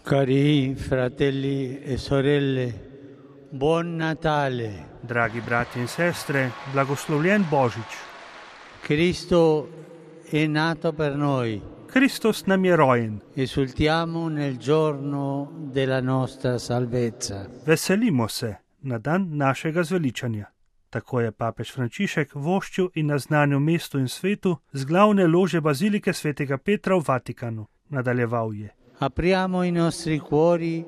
Cari fratelli e sorelle, buon Natale. Dragi brati in sestre, blagoslovljen Božič. Cristo è nato per noi. Kristus nam je rojen. Esultiamo nel giorno della nostra salvezza. Veselimo se na dan našega zveličanja. Tako je papež Frančišek voščil in naznanil mestu in svetu z glavne lože bazilike svetega Petra v Vatikanu. Nadaljeval je. Apriamo i nostri cuori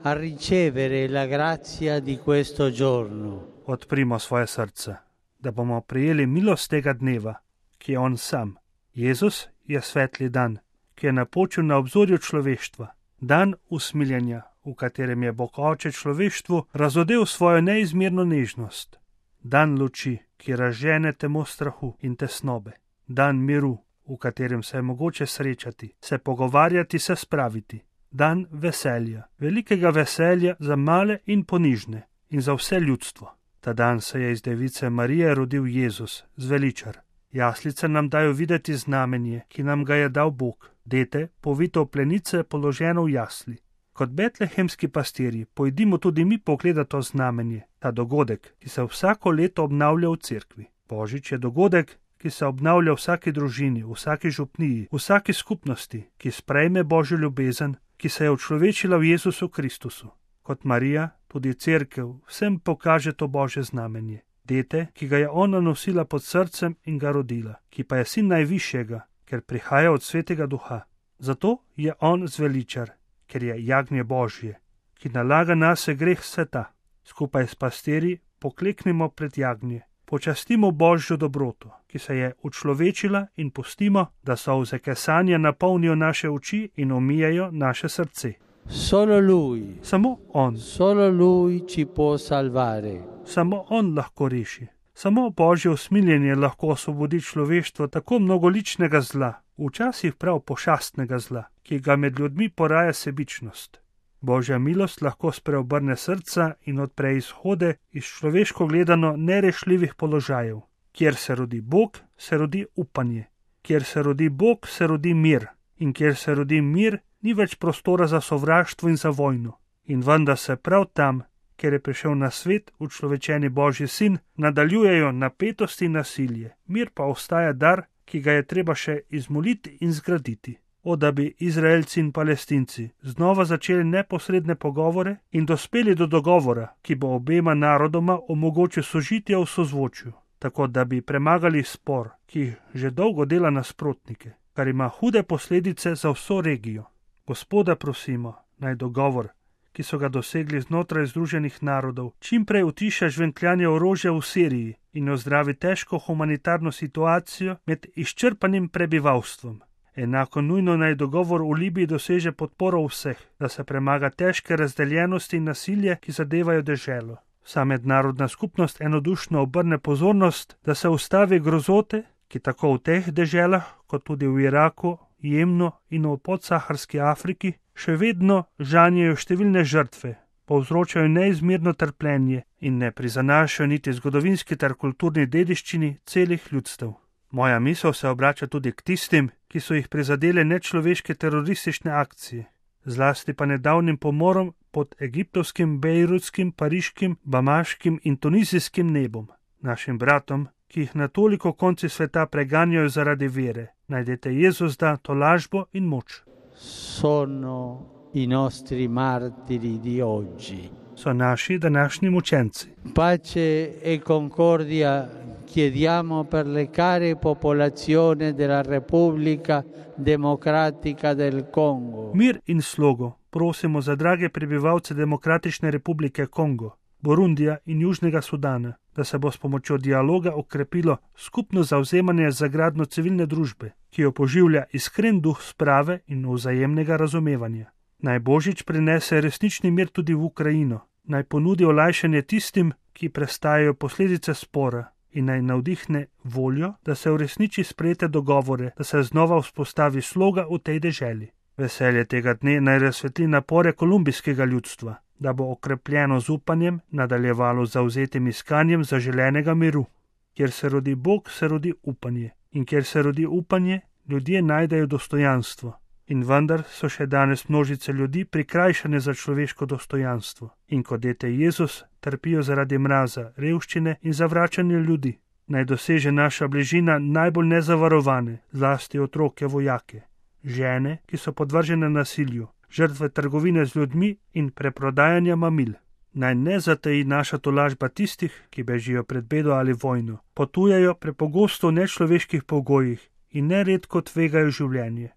a ricevere la grazia di questo giorno. Odprimo svoje srce, da bomo prijeli milost tega dneva, ki je on sam. Jezus je svetli dan, ki je napočil na obzorju človeštva. Dan usmiljenja, v katerem je Bog Oče človeštvu razodel svojo neizmerno nežnost. Dan luči, ki razžene temo strahu in tesnobe. Dan miru, v katerem se je mogoče srečati, se pogovarjati, se spraviti. Dan veselja, velikega veselja za male in ponižne in za vse ljudstvo. Ta dan se je iz device Marije rodil Jezus, zveličar. Jaslice nam dajo videti znamenje, ki nam ga je dal Bog. Dete, povito v plenice, položeno v jasli. Kot betlehemski pastirji pojdimo tudi mi pogledati to znamenje, ta dogodek, ki se vsako leto obnavlja v cerkvi. Božič je dogodek, ki se obnavlja v vsaki družini, v vsaki župniji, v vsaki skupnosti, ki sprejme Božjo ljubezen, ki se je učlovečila v Jezusu Kristusu. Kot Marija, tudi cerkev vsem pokaže to Božje znamenje. Dete, ki ga je ona nosila pod srcem in ga rodila, ki pa je sin najvišjega, ker prihaja od svetega duha. Zato je on zveličar, ker je jagnje Božje, ki nalaga nase greh sveta. Skupaj s pastirji pokleknimo pred jagnje. Počastimo Božjo dobroto, ki se je učlovečila in pustimo, da solze kesanja napolnijo naše oči in omijajo naše srce. Solo Lui, Samo on, solo Lui ci può salvare. samo on lahko reši. Samo Božje usmiljenje lahko osvobodi človeštvo tako mnogoličnega zla, včasih prav pošastnega zla, ki ga med ljudmi poraja sebičnost. Božja milost lahko spreobrne srca in odpre izhode iz človeško gledano nerešljivih položajev. Kjer se rodi Bog, se rodi upanje. Kjer se rodi Bog, se rodi mir. In kjer se rodi mir, ni več prostora za sovraštvo in za vojno. In vendar se prav tam, kjer je prišel na svet učlovečeni Božji sin, nadaljujejo napetosti in nasilje. Mir pa ostaja dar, ki ga je treba še izmoliti in zgraditi. O, da bi Izraelci in Palestinci znova začeli neposredne pogovore in dospeli do dogovora, ki bo obema narodoma omogočil sožitje v sozvočju, tako da bi premagali spor, ki že dolgo dela nasprotnike, kar ima hude posledice za vso regijo. Gospoda prosimo, naj dogovor, ki so ga dosegli znotraj Združenih narodov, čimprej utiša žvenkljanje orožja v Siriji in ozdravi težko humanitarno situacijo med izčrpanim prebivalstvom. Enako nujno naj dogovor v Libiji doseže podporo vseh, da se premaga težke razdeljenosti in nasilje, ki zadevajo deželo. Vsa mednarodna skupnost enodušno obrne pozornost, da se ustavi grozote, ki tako v teh deželah, kot tudi v Iraku, Jemnu in v podsaharski Afriki, še vedno žanjejo številne žrtve, povzročajo neizmerno trpljenje in ne prizanašajo niti zgodovinski ter kulturni dediščini celih ljudstev. Moja misel se obrača tudi k tistim, ki so jih prizadele nečloveške teroristične akcije, zlasti pa nedavnim pomorom pod egiptovskim, bejrutskim, pariškim, bamaškim in tunizijskim nebom. Našim bratom, ki jih na toliko konci sveta preganjajo zaradi vere, najdete Jezus da tolažbo in moč. Sono i nostri martiri di oggi. So naši današnji mučenci. Pace e concordia chiediamo per le care popolazioni della Repubblica Democratica del Congo. Mir in slogo prosimo za drage prebivalce Demokratične republike Kongo, Burundija in Južnega Sudana, da se bo s pomočjo dialoga okrepilo skupno zavzemanje za gradnjo civilne družbe, ki jo poživlja iskren duh sprave in vzajemnega razumevanja. Naj Božič prinese resnični mir tudi v Ukrajino, naj ponudi olajšanje tistim, ki prestajajo posledice spora, in naj navdihne voljo, da se uresniči sprejete dogovore, da se znova vzpostavi sloga v tej deželi. Veselje tega dne naj razsvetli napore kolumbijskega ljudstva, da bo okrepljeno z upanjem nadaljevalo z zavzetim iskanjem zaželenega miru. Kjer se rodi Bog, se rodi upanje. In kjer se rodi upanje, ljudje najdejo dostojanstvo. In vendar so še danes množice ljudi prikrajšane za človeško dostojanstvo. In kot dete Jezus trpijo zaradi mraza, revščine in zavračanja ljudi. Naj doseže naša bližina najbolj nezavarovane, zlasti otroke, vojake, žene, ki so podvržene nasilju, žrtve trgovine z ljudmi in preprodajanja mamil. Naj ne zataji naša tolažba tistih, ki bežijo pred bedo ali vojno, potujejo prepogosto v nečloveških pogojih in neredko tvegajo življenje.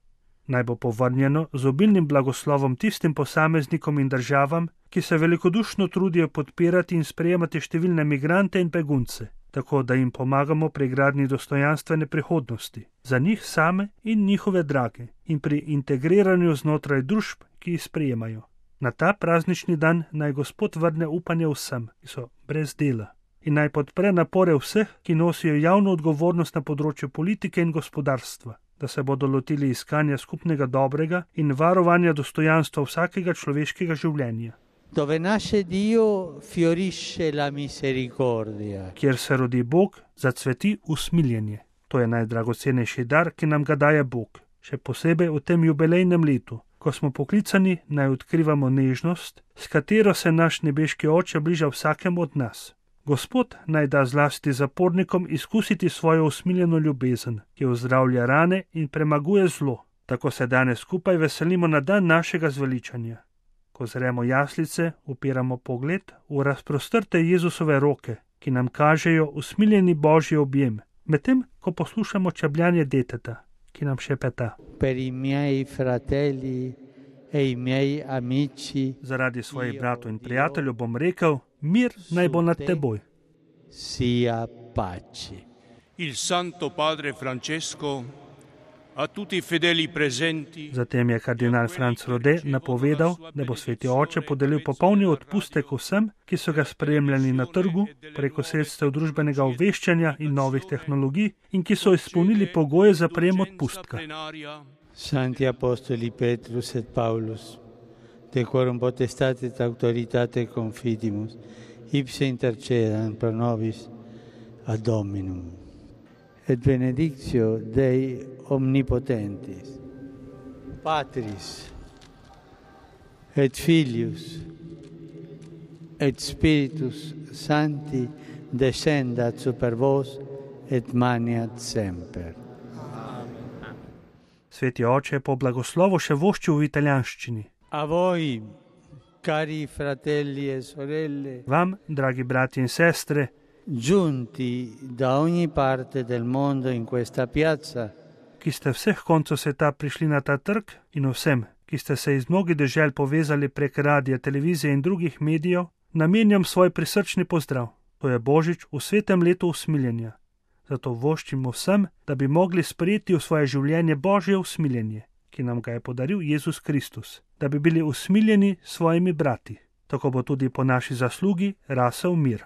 Naj bo povrnjeno z obilnim blagoslovom tistim posameznikom in državam, ki se velikodušno trudijo podpirati in sprejemati številne migrante in begunce, tako da jim pomagamo pri gradnji dostojanstvene prihodnosti, za njih same in njihove drage in pri integriranju znotraj družb, ki jih sprejemajo. Na ta praznični dan naj Gospod vrne upanje vsem, ki so brez dela, in naj podpre napore vseh, ki nosijo javno odgovornost na področju politike in gospodarstva, da se bodo lotili iskanja skupnega dobrega in varovanja dostojanstva vsakega človeškega življenja. Dove nasce Dio fiorisce la misericordia. Kjer se rodi Bog, zacveti usmiljenje. To je najdragocenejši dar, ki nam ga daje Bog, še posebej v tem jubilejnem letu, ko smo poklicani naj odkrivamo nežnost, s katero se naš nebeški Oče bliža vsakemu od nas. Gospod naj da zlasti zapornikom izkusiti svojo usmiljeno ljubezen, ki ozdravlja rane in premaguje zlo. Tako se danes skupaj veselimo na dan našega zveličanja. Ko zremo jaslice, upiramo pogled v razprostrte Jezusove roke, ki nam kažejo usmiljeni Božji objem, medtem ko poslušamo čebljanje deteta, ki nam šepeta: Per i miei fratelli e i miei amici, zaradi svojih bratov in prijateljev bom rekel: mir naj bo nad teboj. Sia pace. Il Santo Padre Francesco a tutti i fedeli presenti. Zatem je kardinal Franc Rode napovedal, da bo Sveti Oče podelil popolni odpustek vsem, ki so ga spremljali na trgu, preko sredstev družbenega obveščanja in novih tehnologij in ki so izpolnili pogoje za prejem odpustka. Santi Apostoli Petrus et Paulus, de quorum potestate et autoritate confidimus, ipse intercedant pro nobis ad Dominum. Et benedictio Dei omnipotentis, Patris, et Filius, et Spiritus Sancti descendat super vos et maniat semper. Sveti Oče je po blagoslovu še voščil v italijanščini. A voi, cari fratelli e sorelle, Vam, dragi brati in sestre, giunti da ogni parte del mondo in questa piazza, ki ste vseh koncev sveta prišli na ta trg, in vsem, ki ste se iz mnogih dežel povezali prek radija, televizije in drugih medijev, namenjam svoj prisrčni pozdrav. To je Božič v svetem letu usmiljenja. Zato voščimo vsem, da bi mogli sprejeti v svoje življenje Božje usmiljenje, ki nam ga je podaril Jezus Kristus, da bi bili usmiljeni s svojimi brati. Tako bo tudi po naši zaslugi rasel mir.